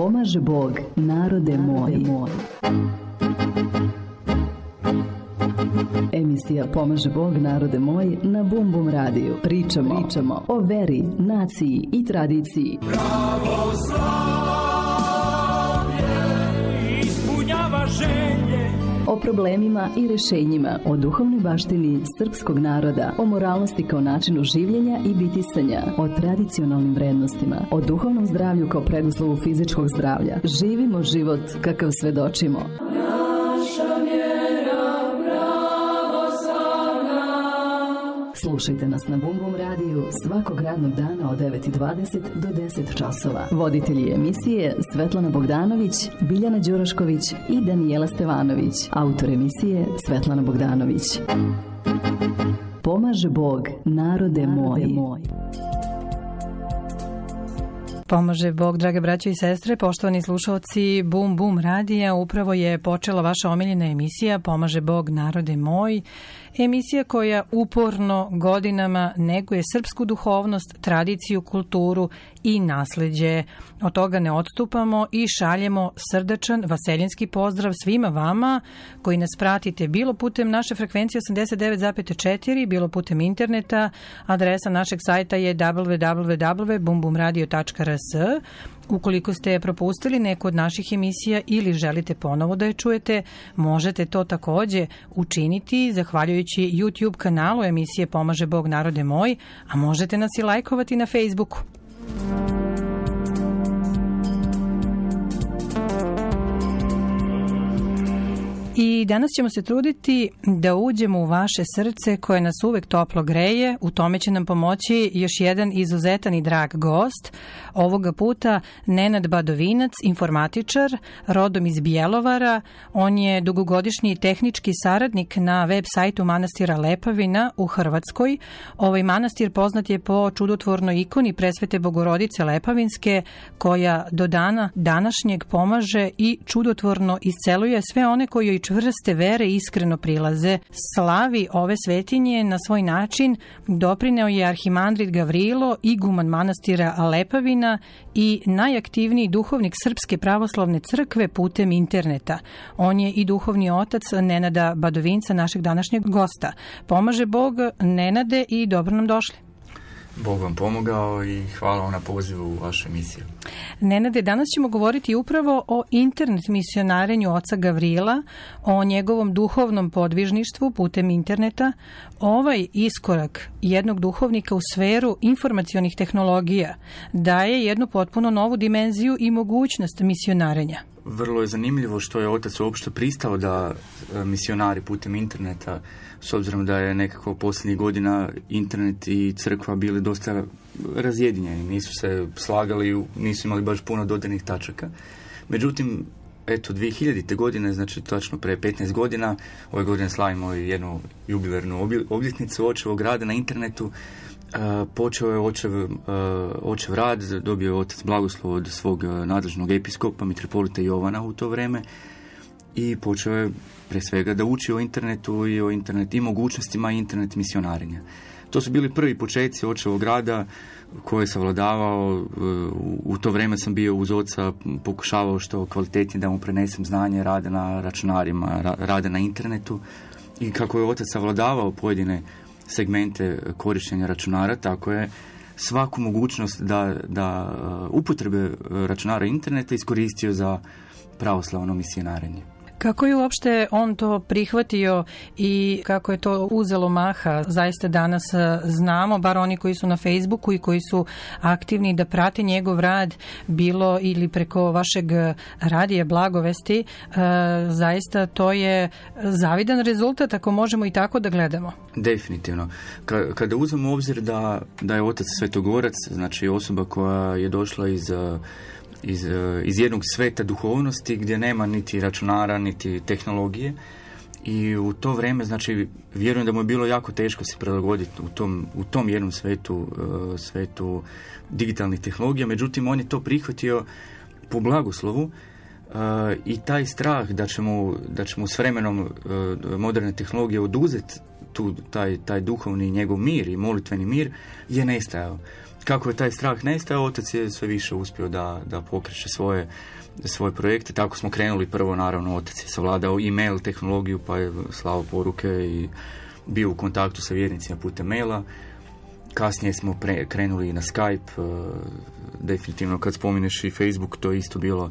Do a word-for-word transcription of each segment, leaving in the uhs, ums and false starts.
Pomaže Bog, narode moj. Emisija Pomaže Bog, narode moj na Bum Bum radiju. Pričamo, Pričamo o veri, naciji i tradiciji. Pravoslavlje ispunjava želje. O problemima i rješenjima, o duhovnoj baštini srpskog naroda, o moralnosti kao načinu življenja i bitisanja, o tradicionalnim vrednostima, o duhovnom zdravlju kao preduslovu fizičkog zdravlja. Živimo život kakav svedočimo. Naša vjera pravoslavna. Slušajte nas na Bum Bum radiju svakog radnog dana od devet i dvadeset do deset časova. Voditelji emisije Svetlana Bogdanović, Biljana Đurašković i Danijela Stevanović. Autor emisije Svetlana Bogdanović. Pomaže Bog, narode moj. Pomaže Bog, drage braće i sestre, poštovani slušalci Bum Bum radija. Upravo je počela vaša omiljena emisija Pomaže Bog, narode moj. Emisija koja uporno godinama neguje srpsku duhovnost, tradiciju, kulturu i nasleđe. Od toga ne odstupamo i šaljemo srdačan vaseljenski pozdrav svima vama koji nas pratite bilo putem naše frekvencije osamdeset devet zarez četiri, bilo putem interneta. Adresa našeg sajta je w w w tačka bum bum radio tačka r s. Ukoliko ste propustili neku od naših emisija ili želite ponovo da je čujete, možete to takođe učiniti zahvaljujući YouTube kanalu emisije Pomaže Bog, narode moj, a možete nas i lajkovati na Facebooku. I danas ćemo se truditi da uđemo u vaše srce koje nas uvek toplo greje. U tome će nam pomoći još jedan izuzetan i drag gost. Ovoga puta Nenad Badovinac, informatičar, rodom iz Bjelovara. On je dugogodišnji tehnički saradnik na web sajtu manastira Lepavina u Hrvatskoj. Ovaj manastir poznat je po čudotvornoj ikoni Presvete Bogorodice Lepavinske, koja do dana današnjeg pomaže i čudotvorno isceluje sve one koji joj čvrste vere iskreno prilaze. Slavi ove svetinje na svoj način doprineo je arhimandrit Gavrilo, iguman manastira Lepavina i najaktivniji duhovnik Srpske pravoslavne crkve putem interneta. On je i duhovni otac Nenada Badovinca, našeg današnjeg gosta. Pomaže Bog, Nenade, i dobro nam došli. Bog vam pomogao i hvala vam na pozivu u vašu emisiju. Nenade, danas ćemo govoriti upravo o internet misionarenju oca Gavrila, o njegovom duhovnom podvižništvu putem interneta. Ovaj iskorak jednog duhovnika u sferu informacionih tehnologija daje jednu potpuno novu dimenziju i mogućnost misionarenja. Vrlo je zanimljivo što je otac uopšte pristao da misionari putem interneta, s obzirom da je nekako posljednjih godina internet i crkva bili dosta razjedinjeni, nisu se slagali, nisu imali baš puno dodirnih tačaka. Međutim, eto, dvije hiljadite godine, znači točno pre petnaest godina, ove godine slavimo jednu jubilarnu obljetnicu očevog rada na internetu. Uh, počeo je očev, uh, očev rad, dobio je otac blagoslov od svog uh, nadležnog episkopa, mitropolita Jovana u to vreme, i počeo je pre svega da uči o internetu i o internet i mogućnostima internet misionarenja. To su bili prvi početci očevog rada koje je savladavao. Uh, u to vreme sam bio uz oca, pokušavao što kvalitetnije da mu prenesem znanje rada na računarima, ra, rada na internetu, i kako je otac savladavao pojedine segmente korištenja računara, tako je svaku mogućnost da, da upotrebe računara interneta iskoristio za pravoslavno misionarenje. Kako je uopšte on to prihvatio i kako je to uzelo maha? Zaista danas znamo, bar oni koji su na Facebooku i koji su aktivni, da prate njegov rad, bilo ili preko vašeg radija Blagovesti. Zaista to je zavidan rezultat, ako možemo i tako da gledamo. Definitivno. Kada uzmemo u obzir da, da je otac svetogorac, znači osoba koja je došla iz Iz, iz jednog sveta duhovnosti gdje nema niti računara, niti tehnologije, i u to vrijeme, znači, vjerujem da mu je bilo jako teško se prilagoditi u tom, u tom jednom svetu, svetu digitalnih tehnologija. Međutim, on je to prihvatio po blagoslovu, i taj strah da će mu, da će mu s vremenom moderne tehnologije oduzeti tu, taj, taj duhovni njegov mir i molitveni mir je nestajao. kako je taj strah nestao, otac je sve više uspio da, da pokreće svoje, svoje projekte. Tako smo krenuli prvo, naravno, otac je savladao e-mail tehnologiju, pa je slao poruke i bio u kontaktu sa vjernicima putem maila. Kasnije smo pre, krenuli na Skype, uh, definitivno kad spominješ i Facebook, to je isto bilo,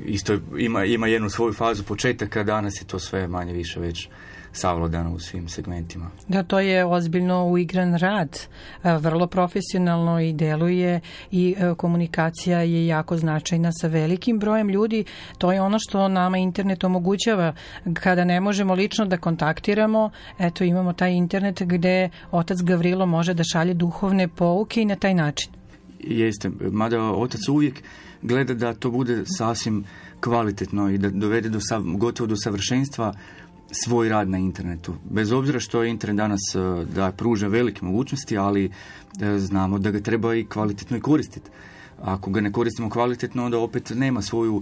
isto ima, ima jednu svoju fazu početaka, danas je to sve manje više već savladano u svim segmentima. Da, to je ozbiljno uigran rad, vrlo profesionalno i deluje i komunikacija je jako značajna sa velikim brojem ljudi. To je ono što nama internet omogućava. Kada ne možemo lično da kontaktiramo, eto imamo taj internet gde otac Gavrilo može da šalje duhovne pouke i na taj način. Jeste, mada otac uvijek gleda da to bude sasvim kvalitetno i da dovede do sav, gotovo do savršenstva svoj rad na internetu. Bez obzira što je internet danas da pruža velike mogućnosti, ali znamo da ga treba i kvalitetno i koristiti. Ako ga ne koristimo kvalitetno, onda opet nema svoju,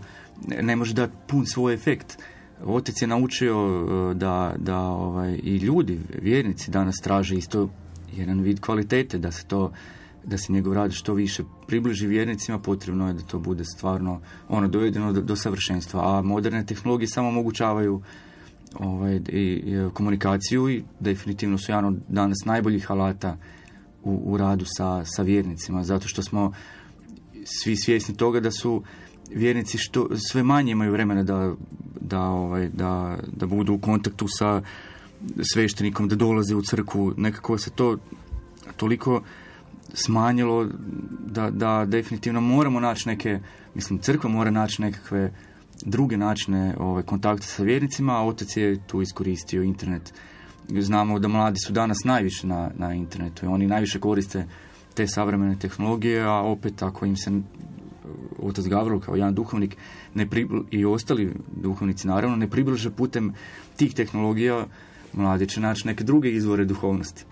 ne može dati pun svoj efekt. Otac je naučio da, da ovaj, i ljudi, vjernici danas traže isto jedan vid kvalitete, da se to da se njegov rad što više približi vjernicima, potrebno je da to bude stvarno ono dovedeno do, do savršenstva. A moderne tehnologije samo omogućavaju ovaj, i, i komunikaciju i definitivno su jedan od danas najboljih alata u, u radu sa, sa vjernicima, zato što smo svi svjesni toga da su vjernici što, sve manje imaju vremena da, da, ovaj, da, da budu u kontaktu sa sveštenikom, da dolaze u crkvu. Nekako se to toliko smanjilo da, da definitivno moramo naći neke, mislim, crkva mora naći nekakve druge načine ovaj, kontakta sa vjernicima, a otac je tu iskoristio internet. Znamo da mladi su danas najviše na, na internetu i oni najviše koriste te savremene tehnologije, a opet ako im se otac Gavrilo kao jedan duhovnik ne pribl- i ostali duhovnici naravno ne približe putem tih tehnologija, mladi će naći neke druge izvore duhovnosti.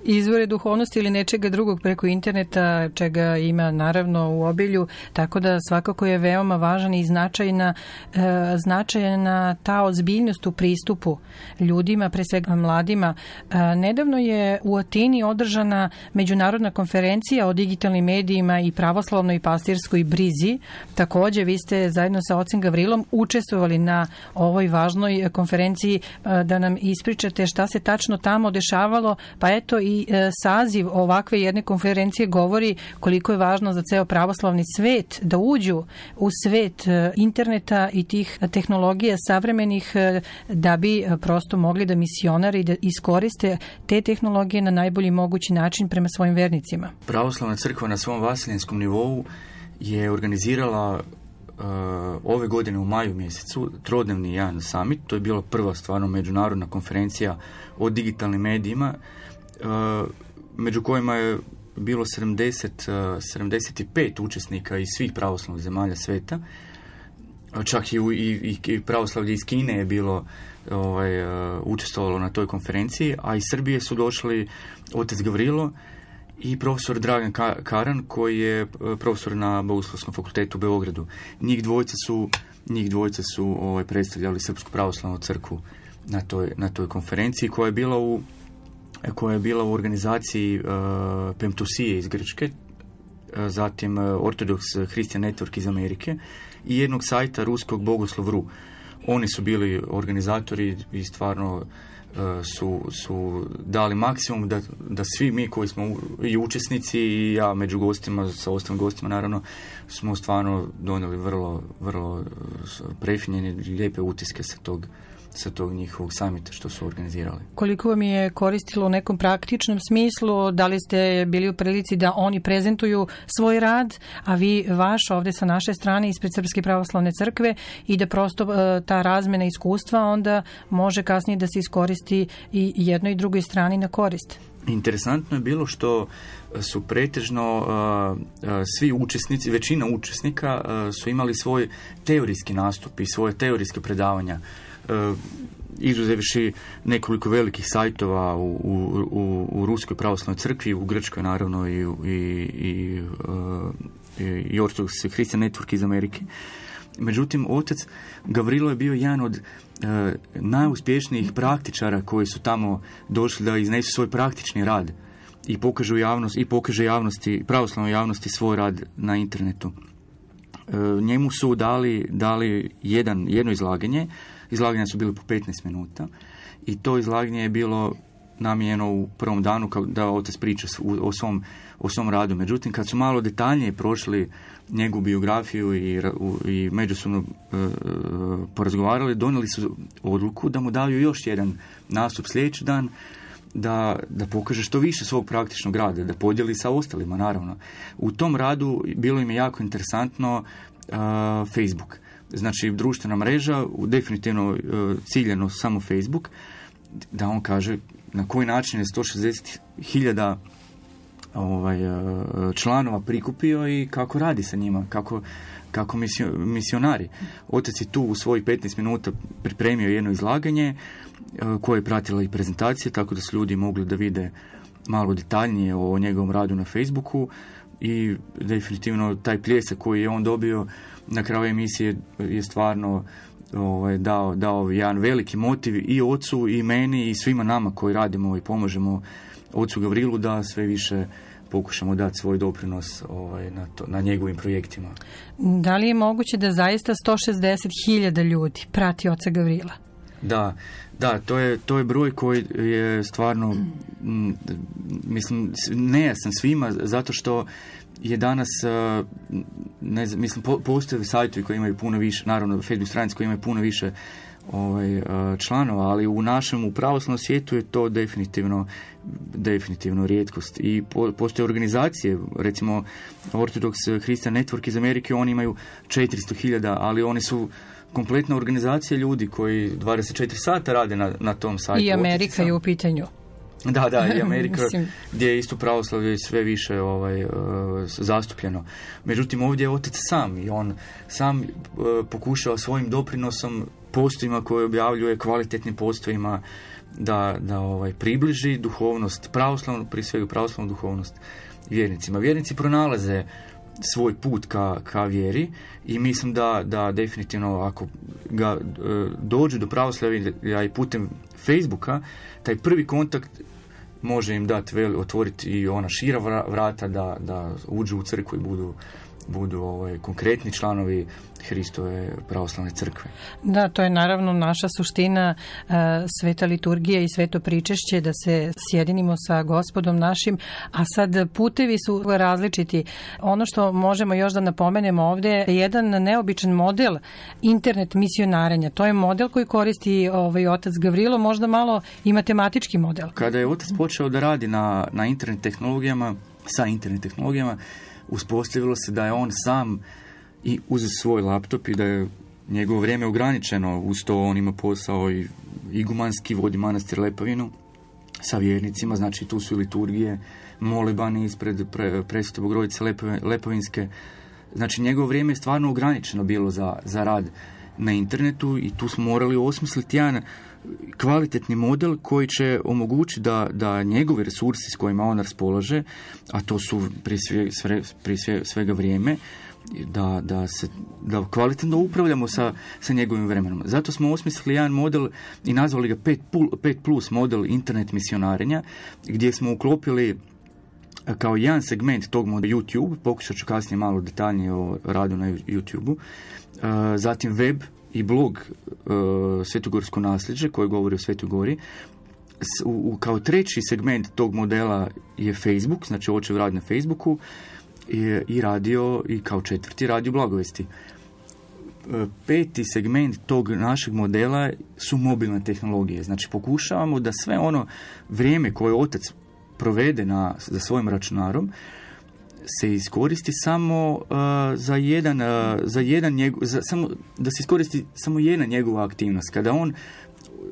Izvore duhovnosti ili nečega drugog preko interneta, čega ima naravno u obilju, tako da svakako je veoma važan i značajna, e, značajna ta ozbiljnost u pristupu ljudima, pre svega mladima. E, nedavno je u Atini održana međunarodna konferencija o digitalnim medijima i pravoslavnoj i pastirskoj brizi. Takođe, vi ste zajedno sa ocem Gavrilom učestvovali na ovoj važnoj konferenciji, e, da nam ispričate šta se tačno tamo dešavalo, pa eto i I saziv ovakve jedne konferencije govori koliko je važno za ceo pravoslavni svet da uđu u svet interneta i tih tehnologija savremenih da bi prosto mogli da misionari da iskoriste te tehnologije na najbolji mogući način prema svojim vernicima. Pravoslavna crkva na svom vasiljenskom nivou je organizirala uh, ove godine u maju mjesecu trodnevni jedan summit. To je bila prva stvarno međunarodna konferencija o digitalnim medijima, Uh, među kojima je bilo sedamdeset, sedamdeset pet učesnika iz svih pravoslavnih zemalja sveta. Čak i, i, i pravoslavlje iz Kine je bilo ovaj, uh, učestvovalo na toj konferenciji, a iz Srbije su došli otac Gavrilo i profesor Dragan Karan, koji je profesor na Bogoslovskom fakultetu u Beogradu. Njih dvojica su, njih dvojica su ovaj, predstavljali Srpsku pravoslavnu crkvu na toj, na toj konferenciji, koja je bila u koja je bila u organizaciji uh, Pemtusije iz Grčke, uh, zatim uh, Orthodox Christian Network iz Amerike i jednog sajta ruskog Bogoslov punkt ru. Oni su bili organizatori i stvarno uh, su, su dali maksimum da, da svi mi koji smo i učesnici i ja među gostima, sa ostalim gostima naravno, smo stvarno donijeli vrlo, vrlo prefinjene i lijepe utiske sa tog sa tog njihovog samita što su organizirali. Koliko vam je koristilo u nekom praktičnom smislu? Da li ste bili u prilici da oni prezentuju svoj rad, a vi vaš ovde sa naše strane ispred Srpske pravoslavne crkve i da prosto ta razmena iskustva onda može kasnije da se iskoristi i jednoj i drugoj strani na korist? Interesantno je bilo što su pretežno uh, uh, svi učesnici, većina učesnika uh, su imali svoj teorijski nastup i svoje teorijske predavanja. Uh, izuzevši nekoliko velikih sajtova u, u, u, u Ruskoj pravoslavnoj crkvi, u Grčkoj naravno i, i, i, uh, i Orthodox Christian Network iz Amerike. Međutim, otac Gavrilo je bio jedan od uh, najuspješnijih praktičara koji su tamo došli da iznesu svoj praktični rad. i pokaže javnost i pokaže javnosti, pravoslavnoj javnosti svoj rad na internetu. E, njemu su dali, dali jedan, jedno izlaganje. Izlaganja su bili po petnaest minuta i to izlaganje je bilo namijenjeno u prvom danu kao da otac priča o svom, o svom radu. Međutim, kad su malo detaljnije prošli njegovu biografiju i, i međusobno e, porazgovarali, donijeli su odluku da mu daju još jedan nastup sljedeći dan, da, da pokaže što više svog praktičnog rada, da podijeli sa ostalima, naravno. U tom radu bilo im je jako interesantno uh, Facebook. Znači, društvena mreža, definitivno uh, ciljeno samo Facebook, da on kaže na koji način je sto šezdeset hiljada ovaj, uh, članova prikupio i kako radi sa njima, kako, kako misio, misionari. Otac je tu u svojih petnaest minuta pripremio jedno izlaganje koje je pratila i prezentacija, tako da su ljudi mogli da vide malo detaljnije o njegovom radu na Facebooku i definitivno taj pljesak koji je on dobio na kraju emisije je stvarno ovaj, dao, dao jedan veliki motiv i ocu i meni i svima nama koji radimo i pomožemo ocu Gavrilu da sve više pokušamo dati svoj doprinos ovaj, na, to, na njegovim projektima. Da li je moguće da zaista sto šezdeset hiljada ljudi prati oca Gavrila? Da, da, to je, to je broj koji je stvarno, m, mislim, nejasan svima, zato što je danas, ne znam, mislim, po, postoje sajtovi koji imaju puno više, naravno, Facebook stranice koji imaju puno više ovaj, članova, ali u našem, u pravoslavnom svijetu je to definitivno, definitivno rijetkost. I po, postoje organizacije, recimo Orthodox Christian Network iz Amerike, oni imaju četiristo hiljada, ali oni su kompletna organizacija ljudi koji dvadeset četiri sata rade na, na tom sajtu. I Amerika je u pitanju. Da, da, i Amerika gdje je isto pravoslavlje sve više ovaj, uh, zastupljeno. Međutim, ovdje je otac sam i on sam uh, pokušao svojim doprinosom postojima koje objavljuje, kvalitetnim postojima da, da ovaj, približi duhovnost pravoslavnu, prije svega pravoslavnu duhovnost vjernicima. Vjernici pronalaze svoj put ka, ka vjeri i mislim da, da definitivno ako ga e, dođu do pravoslavlja i putem Facebooka, taj prvi kontakt može im dati, otvoriti i ona šira vrata da, da uđu u crkvu i budu, budu ovaj, konkretni članovi Hristove pravoslavne crkve. Da, to je naravno naša suština, uh, sveta liturgija i sveto pričešće, da se sjedinimo sa Gospodom našim, a sad putevi su različiti. Ono što možemo još da napomenemo ovdje je jedan neobičan model internet misionarenja. To je model koji koristi ovaj otac Gavrilo, možda malo i matematički model. Kada je otac počeo da radi na, na internet tehnologijama, sa internet tehnologijama, uspostavilo se da je on sam i uz svoj laptop i da je njegovo vrijeme ograničeno, uz to on ima posao i igumanski, vodi manastir Lepavinu sa vjernicima, znači tu su i liturgije, molibani ispred pre, Presvete Bogorodice Lepavinske, znači njegovo vrijeme je stvarno ograničeno bilo za, za rad na internetu i tu smo morali osmisliti jedan kvalitetni model koji će omogućiti da, da njegove resursi s kojima on raspolaže, a to su prije, sve, sve, prije sve, svega vrijeme, da, da, se, da kvalitetno upravljamo sa, sa njegovim vremenom. Zato smo osmislili jedan model i nazvali ga pet plus model internet misionarenja, gdje smo uklopili kao jedan segment tog modela YouTube, pokušat ću kasnije malo detaljnije o radu na YouTube-u, zatim web i blog uh, Svetogorsko nasljeđe koje govori o Svetoj Gori. S, u, u, kao treći segment tog modela je Facebook, znači očev rad na Facebooku i, i radio i kao četvrti radio blagovesti. Uh, peti segment tog našeg modela su mobilne tehnologije. Znači pokušavamo da sve ono vrijeme koje otac provede na, za svojim računarom se iskoristi samo uh, za jedan, uh, za jedan njegov, za, samo, da se iskoristi samo jedna njegova aktivnost. Kada on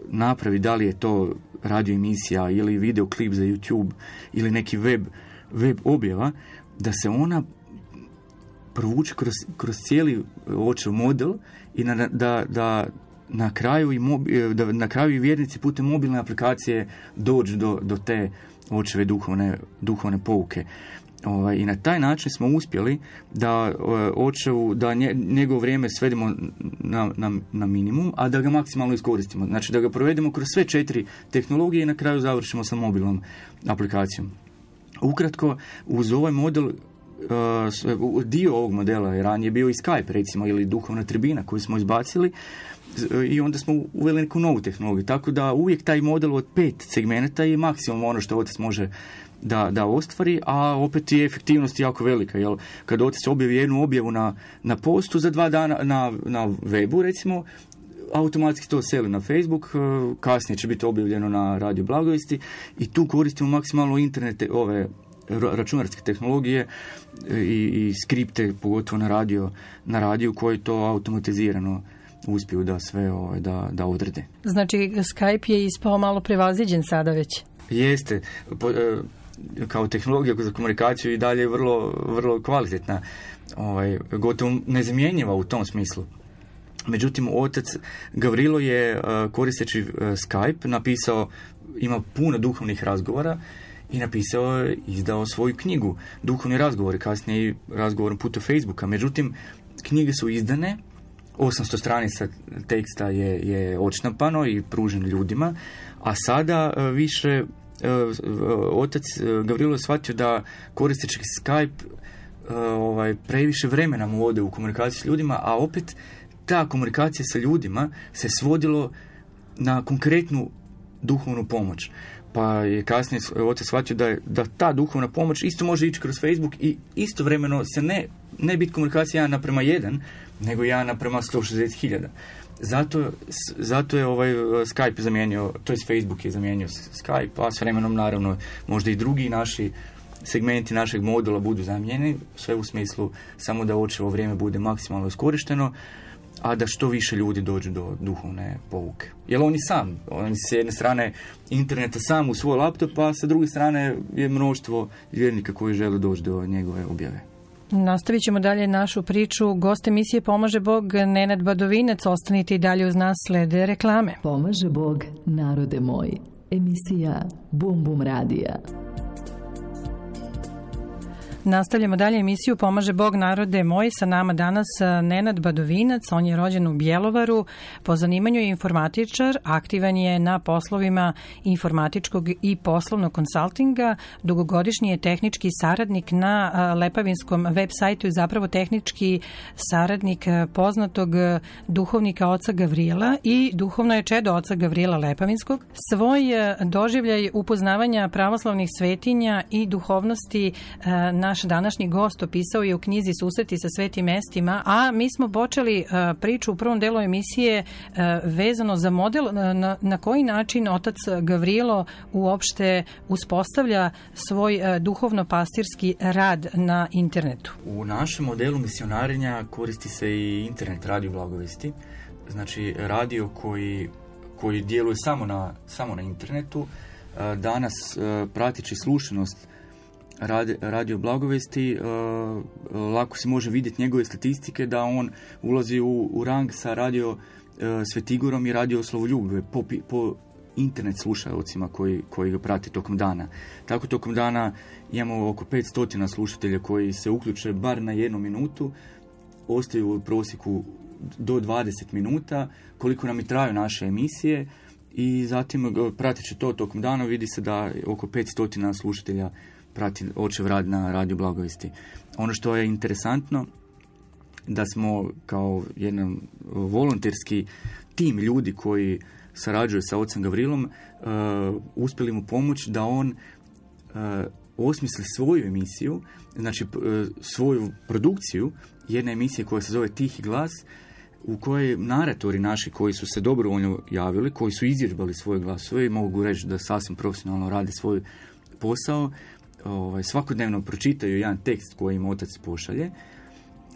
napravi, da li je to radio emisija ili video klip za YouTube ili neki web, web objava, da se ona provuče kroz, kroz cijeli očev model i na, da, da na kraju i mobi, da na kraju i vjernici putem mobilne aplikacije dođu do, do te očeve duhovne, duhovne pouke. Ovaj, i na taj način smo uspjeli da očevu, da nje, njegovo vrijeme svedemo na, na, na minimum, a da ga maksimalno iskoristimo. Znači da ga provedemo kroz sve četiri tehnologije i na kraju završimo sa mobilnom aplikacijom. Ukratko, uz ovaj model, uh, dio ovog modela je ranije bio i Skype, recimo, ili duhovna tribina koju smo izbacili, i onda smo uveli neku novu tehnologiju. Tako da uvijek taj model od pet segmenata je maksimum ono što otac može da, da ostvari, a opet je efektivnost jako velika. Jel? Kad otac objavi jednu objavu na, na postu za dva dana na, na webu, recimo, automatski to seli na Facebook, kasnije će biti objavljeno na Radio Blagovesti i tu koristimo maksimalno internete, ove računarske tehnologije i, i skripte, pogotovo na radio, na radiju koji to automatizirano uspiju da sve ove, da, da odrede. Znači, Skype je ispao malo prevaziđen sada već? Jeste. Po, kao tehnologija za komunikaciju i dalje je vrlo, vrlo kvalitetna, ovaj, gotovo nezamjenjiva u tom smislu. Međutim, otac Gavrilo je, koristeći Skype, napisao, ima puno duhovnih razgovora i napisao je, izdao svoju knjigu Duhovni razgovori, kasnije i razgovorom putem Facebooka. Međutim, knjige su izdane, osamsto stranica teksta je, je odštampano i pružen ljudima, a sada više otac Gavrilo je shvatio da koristeći Skype ovaj, previše vremena mu ode u komunikaciji s ljudima, a opet ta komunikacija sa ljudima se svodilo na konkretnu duhovnu pomoć. Pa je kasnije otac shvatio da, je, da ta duhovna pomoć isto može ići kroz Facebook i istovremeno se ne, ne biti komunikacija jedan naprema jedan, nego jedan naprema sto šezdeset hiljada. Zato, zato je ovaj Skype zamijenio, to je Facebook je zamijenio Skype, a s vremenom naravno možda i drugi naši segmenti našeg modula budu zamijenjeni, sve u smislu samo da očevo vrijeme bude maksimalno iskorišteno, a da što više ljudi dođu do duhovne pouke. Jer oni sam, oni s jedne strane interneta sam u svoj laptop, a sa druge strane je mnoštvo vjernika koji žele doći do njegove objave. Nastavit ćemo dalje našu priču. Gost emisije Pomaže Bog, Nenad Badovinac. Ostanite i dalje uz nas, slede reklame. Pomaže Bog, narode moj. Emisija Bum Bum Radija. Nastavljamo dalje emisiju Pomaže Bog, narode moj. Sa nama danas Nenad Badovinac. On je rođen u Bjelovaru. Po zanimanju je informatičar. Aktivan je na poslovima informatičkog i poslovnog konsultinga. Dugogodišnji je tehnički saradnik na lepavinskom web sajtu i zapravo tehnički saradnik poznatog duhovnika oca Gavrila i duhovno je čedo oca Gavrila Lepavinskog. Svoj doživljaj upoznavanja pravoslavnih svetinja i duhovnosti na naš današnji gost opisao je u knjizi Susreti sa svetim mestima, a mi smo počeli uh, priču u prvom delu emisije uh, vezano za model uh, na, na koji način otac Gavrilo uopšte uspostavlja svoj uh, duhovno-pastirski rad na internetu. U našem modelu misionarenja koristi se i internet Radio Blagovesti, znači radio koji, koji djeluje samo na, samo na internetu. Uh, danas uh, pratići slušanost Radio Blagovesti, uh, lako se može vidjeti njegove statistike da on ulazi u, u rang sa Radio uh, Svetigorom i Radio Slovoljub po, po internet slušalcima koji, koji ga prati tokom dana. Tako tokom dana imamo oko petsto slušatelja koji se uključe bar na jednu minutu, ostaju u prosjeku do dvadeset minuta, koliko nam i traju naše emisije, i zatim prateći to tokom dana vidi se da oko petsto slušatelja prati očev rad na Radio Blagovesti. Ono što je interesantno, da smo kao jedan volonterski tim ljudi koji sarađuje sa ocem Gavrilom, uh, uspjeli mu pomoći da on uh, osmisli svoju emisiju, znači uh, svoju produkciju, jedna emisija koja se zove Tihi glas, u kojoj naratori naši koji su se dobrovoljno javili, koji su izvježbali svoje glasove i mogu reći da sasvim profesionalno rade svoj posao, ovaj, svakodnevno pročitaju jedan tekst koji im otac pošalje,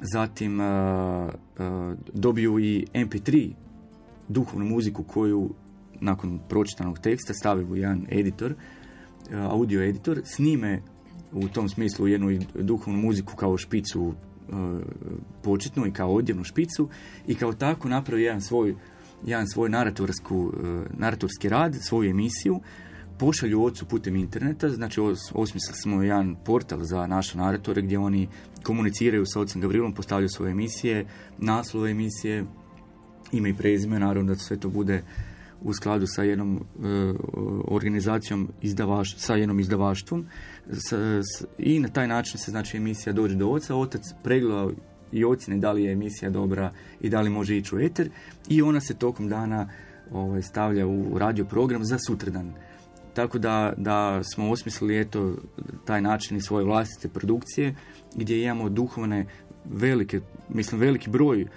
zatim uh, uh, dobiju i em pe tri duhovnu muziku koju nakon pročitanog teksta stavi u jedan editor, uh, audio editor, snime u tom smislu jednu duhovnu muziku kao špicu uh, početnu i kao odjevnu špicu i kao tako napravi jedan svoj, jedan svoj naratorsku, uh, naratorski rad, svoju emisiju, pošalju ocu putem interneta, znači osmislili smo jedan portal za naše naratore gdje oni komuniciraju sa ocem Gavrilom, postavljaju svoje emisije, naslove emisije, ime i prezime, naravno da sve to bude u skladu sa jednom e, organizacijom izdavaš, sa jednom izdavaštvom s, s, i na taj način se znači emisija dođe do oca, otac pregleda i ocjene da li je emisija dobra i da li može ići u eter i ona se tokom dana ovaj, stavlja u radio program za sutradan. Tako da, da smo osmislili eto taj način i svoje vlastite produkcije gdje imamo duhovne velike, mislim veliki broj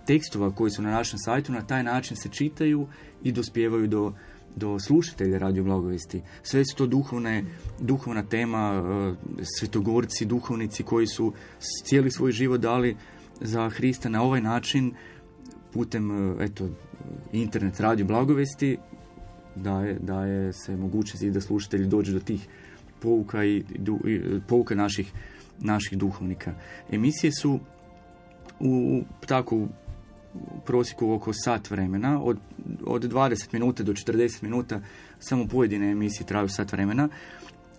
tekstova koji su na našem sajtu, na taj način se čitaju i dospijevaju do, do slušatelja Radio Blagovesti. Sve su to duhovne, duhovna tema, svetogorci, duhovnici koji su cijeli svoj život dali za Hrista na ovaj način putem eto, internet Radio Blagovesti daje, daje se mogućnost i da slušatelji dođu do tih pouka i, i pouka naših, naših duhovnika. Emisije su u tako u prosjeku oko sat vremena, od, od dvadeset minuta do četrdeset minuta, samo pojedine emisije traju sat vremena,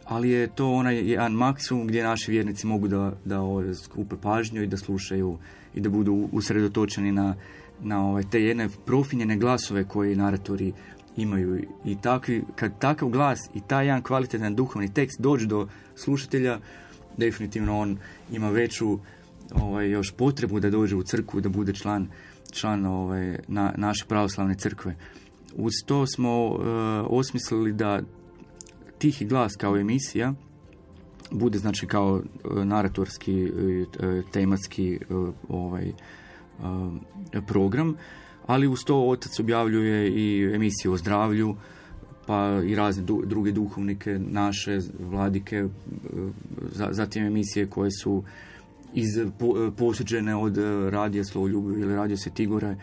ali je to onaj jedan maksimum gdje naši vjernici mogu da, da skupe pažnju i da slušaju i da budu usredotočeni na, na ove, te jedne profinjene glasove koje naratori imaju. I takvi, kad takav glas i taj jedan kvalitetan duhovni tekst dođe do slušatelja, definitivno on ima veću ovaj, još potrebu da dođe u crkvu, da bude član, član ovaj, na, naše pravoslavne crkve. Uz to smo uh, osmislili da Tihi glas kao emisija bude znači kao uh, naratorski, uh, tematski uh, ovaj, uh, program, ali uz to otac objavljuje i emisije o zdravlju, pa i razne du, druge duhovnike, naše vladike, uh, zatim emisije koje su iz, po, posuđene od radija Slovoljubiv ili radija Svetigore.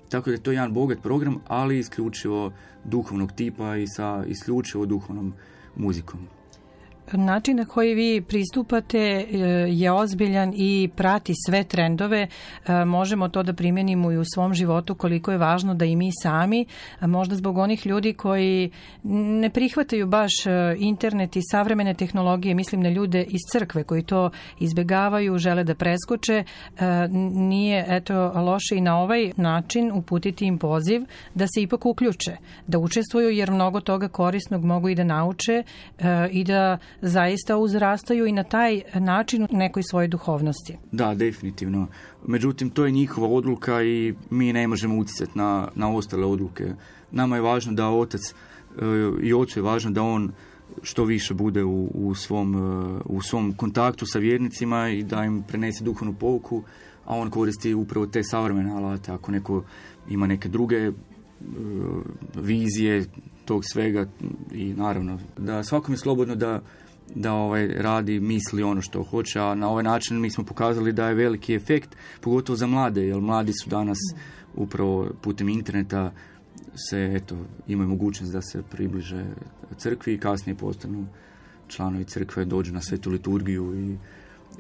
Tako da je to jedan bogat program, ali isključivo duhovnog tipa i sa isključivo duhovnom muzikom. Način na koji vi pristupate je ozbiljan i prati sve trendove. Možemo to da primjenimo i u svom životu koliko je važno da i mi sami, možda zbog onih ljudi koji ne prihvataju baš internet i savremene tehnologije, mislim na ljude iz crkve koji to izbegavaju, žele da preskoče, nije eto loše i na ovaj način uputiti im poziv da se ipak uključe, da učestvuju jer mnogo toga korisnog mogu i da nauče i da zaista uzrastaju i na taj način u nekoj svojoj duhovnosti. Da, definitivno. Međutim, to je njihova odluka i mi ne možemo utjecati na, na ostale odluke. Nama je važno da otac i ocu je važno da on što više bude u, u, svom, u svom kontaktu sa vjernicima i da im prenese duhovnu pouku, a on koristi upravo te savremene alate. Ako neko ima neke druge vizije tog svega i naravno da svakom je slobodno da da ovaj radi, misli ono što hoće, a na ovaj način mi smo pokazali da je veliki efekt, pogotovo za mlade, jer mladi su danas upravo putem interneta se, eto, imaju mogućnost da se približe crkvi i kasnije postanu članovi crkve, dođu na svetu liturgiju i,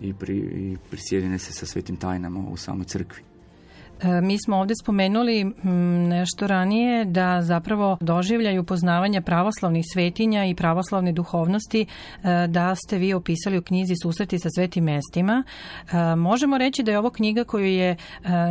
i, pri, i prisjedine se sa svetim tajnama u samoj crkvi. Mi smo ovdje spomenuli nešto ranije da zapravo doživljaju poznavanja pravoslavnih svetinja i pravoslavne duhovnosti da ste vi opisali u knjizi Susreti sa svetim mestima. Možemo reći da je ovo knjiga koju je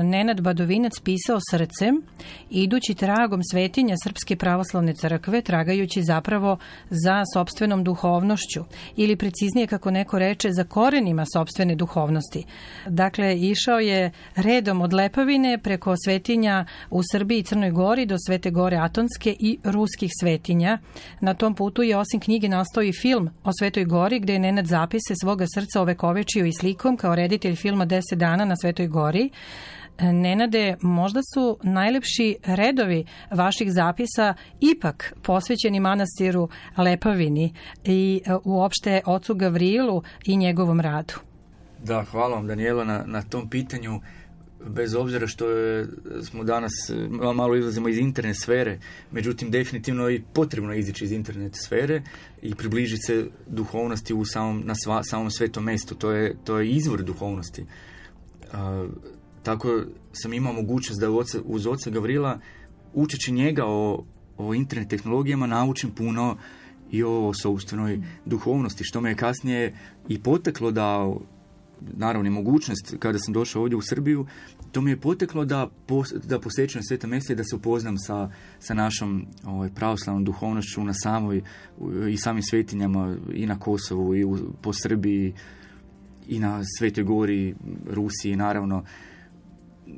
Nenad Badovinac pisao srcem, idući tragom svetinja Srpske pravoslavne crkve, tragajući zapravo za sopstvenom duhovnošću ili preciznije kako neko reče za korenima sopstvene duhovnosti. Dakle, išao je redom od Lepavine preko svetinja u Srbiji i Crnoj Gori do Svete Gore Atonske i ruskih svetinja. Na tom putu je osim knjige nastao i film o Svetoj Gori gdje je Nenad zapise svoga srca ovekovečio i slikom kao reditelj filma deset dana na Svetoj Gori. Nenade, možda su najlepši redovi vaših zapisa ipak posvećeni manastiru Lepavini i uopšte ocu Gavrilu i njegovom radu. Da, hvala vam Danijela na, na tom pitanju. Bez obzira što je, smo danas malo izlazimo iz internet sfere, međutim definitivno je potrebno izići iz internet sfere i približiti se duhovnosti u samom, na sva, samom svetom mjestu. To je, to je izvor duhovnosti. A, tako sam imao mogućnost da oca, uz oca Gavrila, učeći njega o, o internet tehnologijama, naučim puno i o sopstvenoj duhovnosti, što me je kasnije i poteklo da naravno i mogućnost kada sam došao ovdje u Srbiju, to mi je poteklo da, pos, da posjećujem sveta mjesta i da se upoznam sa, sa našom ovaj, pravoslavnom duhovnošću na samoj i samim svetinjama i na Kosovu i u, po Srbiji i na Svetoj Gori, Rusiji naravno.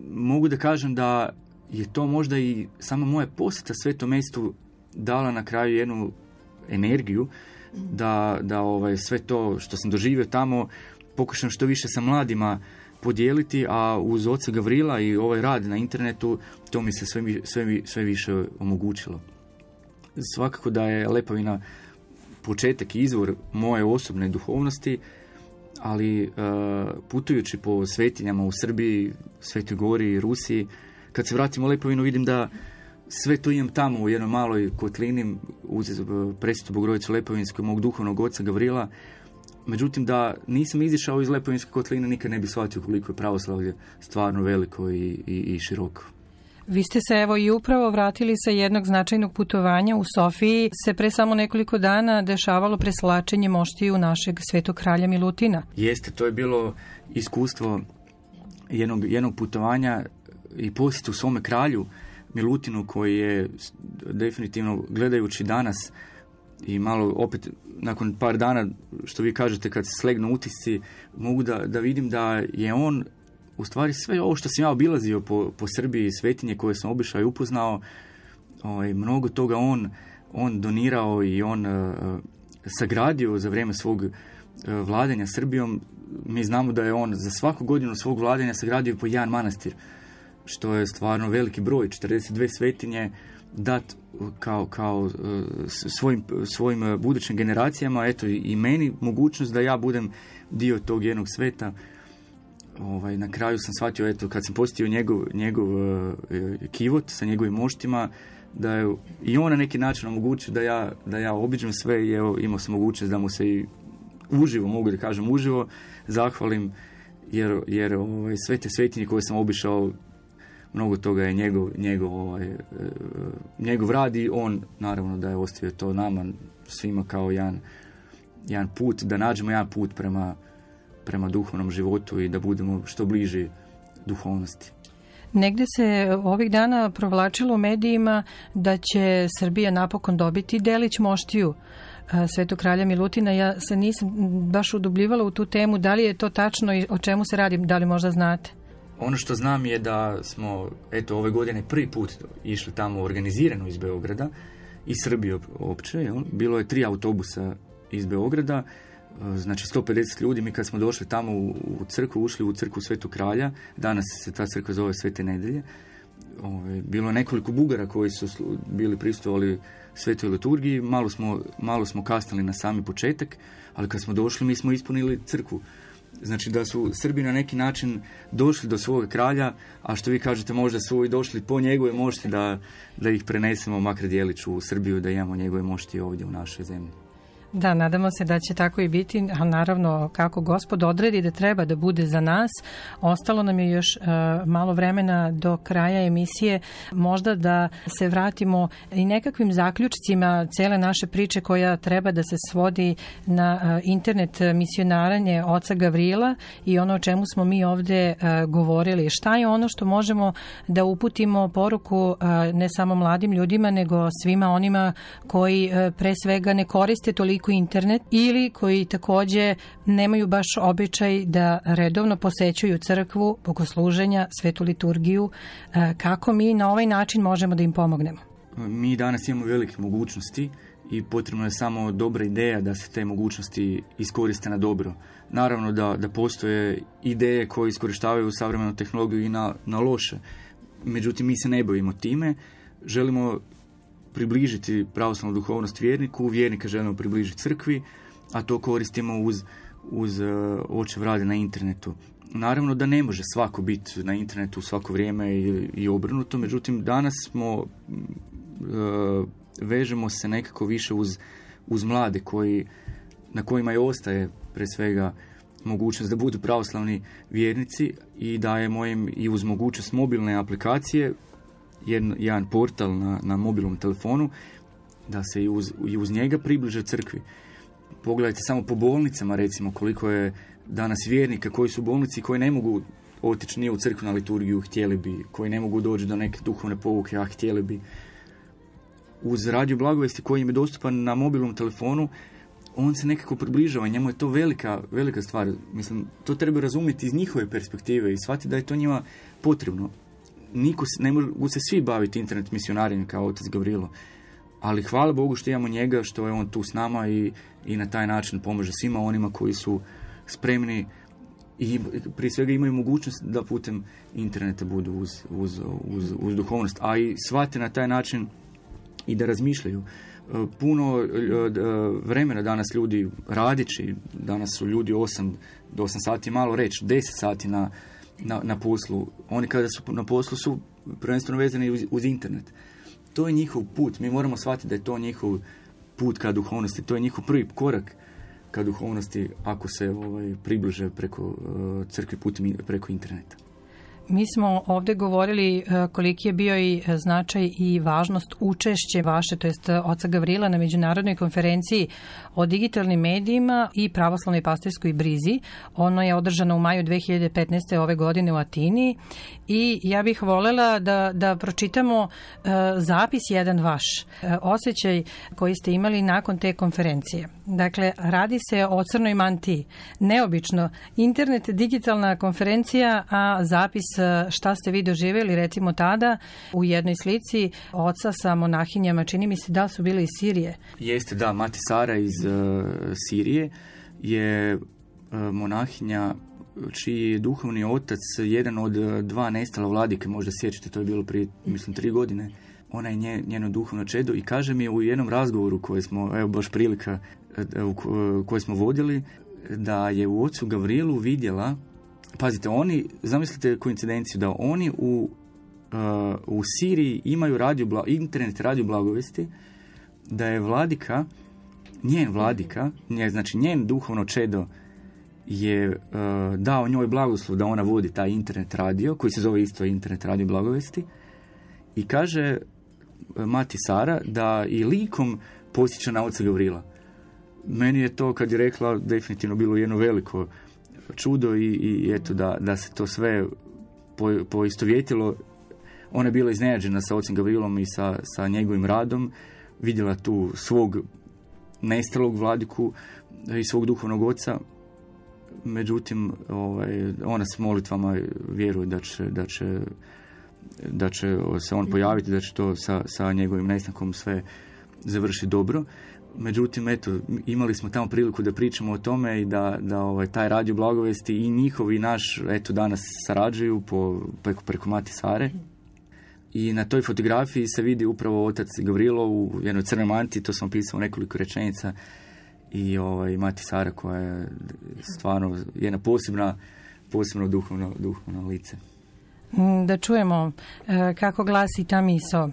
Mogu da kažem da je to možda i sama moja posjeta svetom mjestu dala na kraju jednu energiju da, da ovaj, sve to što sam doživio tamo pokušam što više sa mladima podijeliti, a uz oca Gavrila i ovaj rad na internetu to mi se sve, sve, sve više omogućilo. Svakako da je Lepovina početak i izvor moje osobne duhovnosti, ali uh, putujući po svetinjama u Srbiji, Svetoj Gori i Rusiji, kad se vratim u Lepovinu vidim da sve to imam tamo u jednoj maloj kotlini uz Presvetu Bogorodicu Lepovinsku mog duhovnog oca Gavrila. Međutim, da nisam izišao iz Lepovinske kotline, nikad ne bi shvatio koliko je pravoslavlje stvarno veliko i, i, i široko. Vi ste se evo i upravo vratili sa jednog značajnog putovanja. U Sofiji se pre samo nekoliko dana dešavalo preslačenje moštiju našeg Svetog kralja Milutina. Jeste, to je bilo iskustvo jednog, jednog putovanja i posjetu svome kralju Milutinu, koji je definitivno, gledajući danas i malo opet nakon par dana, što vi kažete, kad se slegnu utisci, mogu da, da vidim da je on u stvari sve ovo što sam ja obilazio po, po Srbiji, svetinje koje sam obišao i upoznao, ovaj, mnogo toga on, on donirao i on uh, sagradio za vrijeme svog uh, vladanja Srbijom. Mi znamo da je on za svaku godinu svog vladanja sagradio po jedan manastir, što je stvarno veliki broj, četrdeset dvije svetinje dat kao, kao svojim, svojim budućim generacijama, eto i meni mogućnost da ja budem dio tog jednog sveta. Ovaj, na kraju sam shvatio, eto, kad sam posjetio njegov, njegov uh, kivot sa njegovim moštima, da je i on na neki način omogućio da ja, da ja obiđem sve i evo, imao sam mogućnost da mu se i uživo, mogu da kažem uživo, zahvalim, jer, jer ovaj, sve te svetinje koje sam obišao, mnogo toga je njegov, njegov, ovaj, njegov rad i on naravno da je ostavio to nama svima kao jedan, jedan put, da nađemo jedan put prema, prema duhovnom životu i da budemo što bliži duhovnosti. Negde se ovih dana provlačilo u medijima da će Srbija napokon dobiti delić moštiju Svetog kralja Milutina. Ja se nisam baš udubljivala u tu temu. Da li je to tačno i o čemu se radi? Da li možda znate? Ono što znam je da smo, eto, ove godine prvi put išli tamo organizirano iz Beograda, iz Srbije opće, jel? Bilo je tri autobusa iz Beograda, znači sto pedeset ljudi. Mi kad smo došli tamo u, u crkvu, ušli u crkvu Svetog kralja, danas se ta crkva zove Svete Nedelje, ove, bilo je nekoliko Bugara koji su bili prisustvovali svetoj liturgiji, malo smo, malo smo kasnili na sami početak, ali kad smo došli mi smo ispunili crkvu. Znači da su Srbi na neki način došli do svoga kralja, a što vi kažete možda su i došli po njegove mošti da, da ih prenesemo makar djelić u Srbiju, da imamo njegove mošti ovdje u našoj zemlji. Da, nadamo se da će tako i biti, a naravno kako Gospod odredi da treba da bude za nas. Ostalo nam je još uh, malo vremena do kraja emisije, možda da se vratimo i nekakvim zaključcima cele naše priče koja treba da se svodi na uh, internet misionaranje oca Gavrila i ono o čemu smo mi ovde uh, govorili. Šta je ono što možemo da uputimo poruku uh, ne samo mladim ljudima, nego svima onima koji uh, pre svega ne koriste toliko internet ili koji takođe nemaju baš običaj da redovno posećuju crkvu, bogosluženja, svetu liturgiju. Kako mi na ovaj način možemo da im pomognemo? Mi danas imamo velike mogućnosti i potrebno je samo dobra ideja da se te mogućnosti iskoriste na dobro. Naravno da, da postoje ideje koje iskorištavaju savremenu tehnologiju i na, na loše. Međutim, mi se ne bavimo time. Želimo približiti pravoslavnu duhovnost vjerniku, vjernika želimo približiti crkvi, a to koristimo uz, uz uh, očev rade na internetu. Naravno da ne može svako biti na internetu svako vrijeme i, i obrnuto, međutim danas smo uh, vežemo se nekako više uz, uz mlade koji, na kojima i ostaje pre svega mogućnost da budu pravoslavni vjernici i dajemo im i uz mogućnost mobilne aplikacije jedan, jedan portal na, na mobilnom telefonu da se i uz, i uz njega približe crkvi. Pogledajte samo po bolnicama recimo koliko je danas vjernika koji su u bolnici, koji ne mogu otići nije u crkvu na liturgiju, htjeli bi, koji ne mogu doći do neke duhovne pouke, a htjeli bi. Uz radio blagovesti koji im je dostupan na mobilnom telefonu, on se nekako približava, njemu je to velika, velika stvar. Mislim, to treba razumjeti iz njihove perspektive i shvatiti da je to njima potrebno. Niko se, ne mogu se svi baviti internet misionarijem kao otac Gavrilo, ali hvala Bogu što imamo njega, što je on tu s nama i, i na taj način pomaže svima onima koji su spremni i prije svega imaju mogućnost da putem interneta budu uz, uz, uz, uz duhovnost, a i shvate na taj način i da razmišljaju. Puno vremena danas ljudi radići, danas su ljudi osam do osam sati, malo reći, deset sati na, na, na poslu. Oni kada su na poslu su prvenstveno vezani uz, uz internet. To je njihov put. Mi moramo shvatiti da je to njihov put ka duhovnosti. To je njihov prvi korak ka duhovnosti ako se ovaj, približe preko uh, crkve putem preko interneta. Mi smo ovdje govorili koliki je bio i značaj i važnost učešće vaše, to jest oca Gavrila na međunarodnoj konferenciji o digitalnim medijima i pravoslavnoj pastirskoj brizi. Ono je održano u maju dve hiljade petnaeste. ove godine u Atini i ja bih voljela da, da pročitamo uh, zapis jedan vaš, uh, osjećaj koji ste imali nakon te konferencije. Dakle, radi se o crnoj mantiji. Neobično, internet, digitalna konferencija, a zapis šta ste vi doživjeli, recimo tada u jednoj slici oca sa monahinjama, čini mi se da su bili iz Sirije. Jeste, da, Mati Sara iz uh, Sirije je uh, monahinja čiji je duhovni otac jedan od uh, dva nestala vladike, možda sjećate, to je bilo prije, mislim, tri godine. Ona je nje, njeno duhovno čedo i kaže mi u jednom razgovoru koje smo, evo baš prilika, uh, koje smo vodili, da je u ocu Gavrilu vidjela. Pazite, oni, zamislite koincidenciju da oni u, uh, u Siriji imaju radio, internet radio blagovesti, da je vladika, njen vladika, nje, znači njen duhovno čedo je uh, dao njoj blagoslov da ona vodi taj internet radio, koji se zove isto internet radio blagovesti, i kaže uh, Mati Sara da i likom posjeća na oca Gavrila. Meni je to, kad je rekla, definitivno bilo jedno veliko čudo i, i eto da, da se to sve po, poistovjetilo. Ona je bila iznenađena sa ocem Gavrilom i sa, sa njegovim radom, vidjela tu svog nestalog vladiku i svog duhovnog oca. Međutim, ovaj, ona s molitvama vjeruje da će, da će, da će se on pojaviti, da će to sa, sa njegovim nestankom sve završiti dobro. Međutim, eto, imali smo tamo priliku da pričamo o tome i da, da ovaj, taj radio blagovesti i njihov i naš, eto, danas sarađuju po, preko, preko Mati Sare. I na toj fotografiji se vidi upravo otac Gavrilo u jednoj crnoj mantiji, to sam pisao nekoliko rečenica, i ovaj, Mati Sara koja je stvarno jedna posebna, posebno duhovno, duhovno lice. Da čujemo kako glasi ta misao.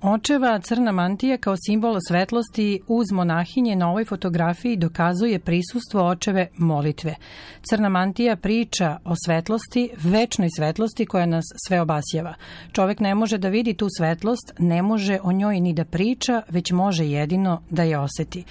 Očeva crna mantija kao simbol svetlosti uz monahinje na ovoj fotografiji dokazuje prisustvo očeve molitve. Crna mantija priča o svetlosti, večnoj svetlosti koja nas sve obasjava. Čovjek ne može da vidi tu svetlost, ne može o njoj ni da priča, već može jedino da je osjeti.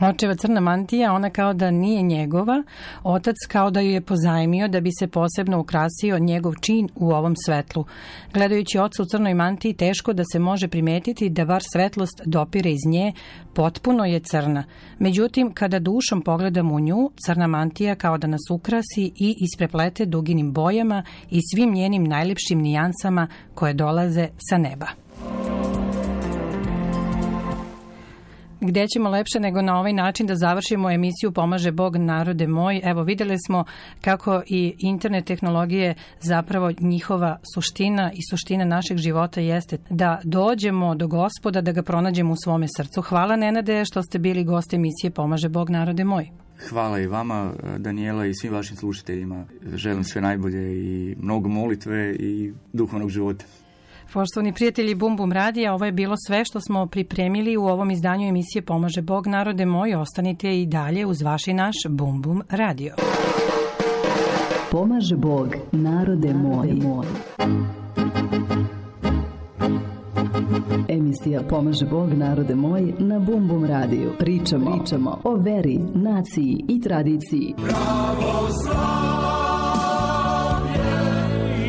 Očeva crna mantija, ona kao da nije njegova, otac kao da ju je pozajmio da bi se posebno ukrasio njegov čin u ovom svetlu. Gledajući oca u crnoj mantiji, teško da se može primijetiti da bar svetlost dopire iz nje, potpuno je crna. Međutim, kada dušom pogledamo u nju, crna mantija kao da nas ukrasi i ispreplete duginim bojama i svim njenim najljepšim nijansama koje dolaze sa neba. Gdje ćemo lepše nego na ovaj način da završimo emisiju Pomaže Bog, narode moj. Evo, vidjeli smo kako i internet tehnologije, zapravo njihova suština i suština našeg života jeste da dođemo do Gospoda, da ga pronađemo u svome srcu. Hvala, Nenade, što ste bili gost emisije Pomaže Bog, narode moj. Hvala i vama, Danijela, i svim vašim slušateljima. Želim sve najbolje i mnogo molitve i duhovnog života. Poštovani prijatelji Bum Bum radija, ovo je bilo sve što smo pripremili u ovom izdanju emisije Pomaže Bog, narode moj. Ostanite i dalje uz vaš i naš Bum Bum radio. Pomaže Bog, narode moj. Emisija emisija Pomaže Bog, narode moj, na Bum Bum radiju. Pričamo, pričamo o veri, naciji i tradiciji. Pravoslavlje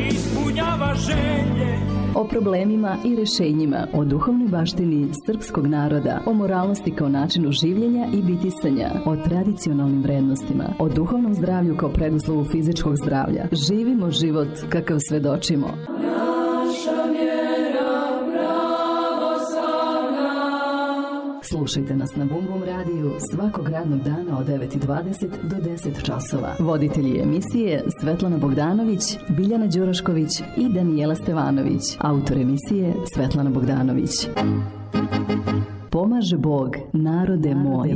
ispunjava želje. O problemima i rešenjima, o duhovnoj baštini srpskog naroda, o moralnosti kao načinu življenja i bitisanja, o tradicionalnim vrednostima, o duhovnom zdravlju kao preduslovu fizičkog zdravlja. Živimo život kakav svedočimo. Naša vjera pravoslavna. Slušajte nas na Bum Bum radiju svakog radnog dana od devet i dvadeset do deset časova. Voditelji emisije Svetlana Bogdanović, Biljana Đurašković i Danijela Stevanović. Autor emisije Svetlana Bogdanović. Pomaže Bog, narode moj.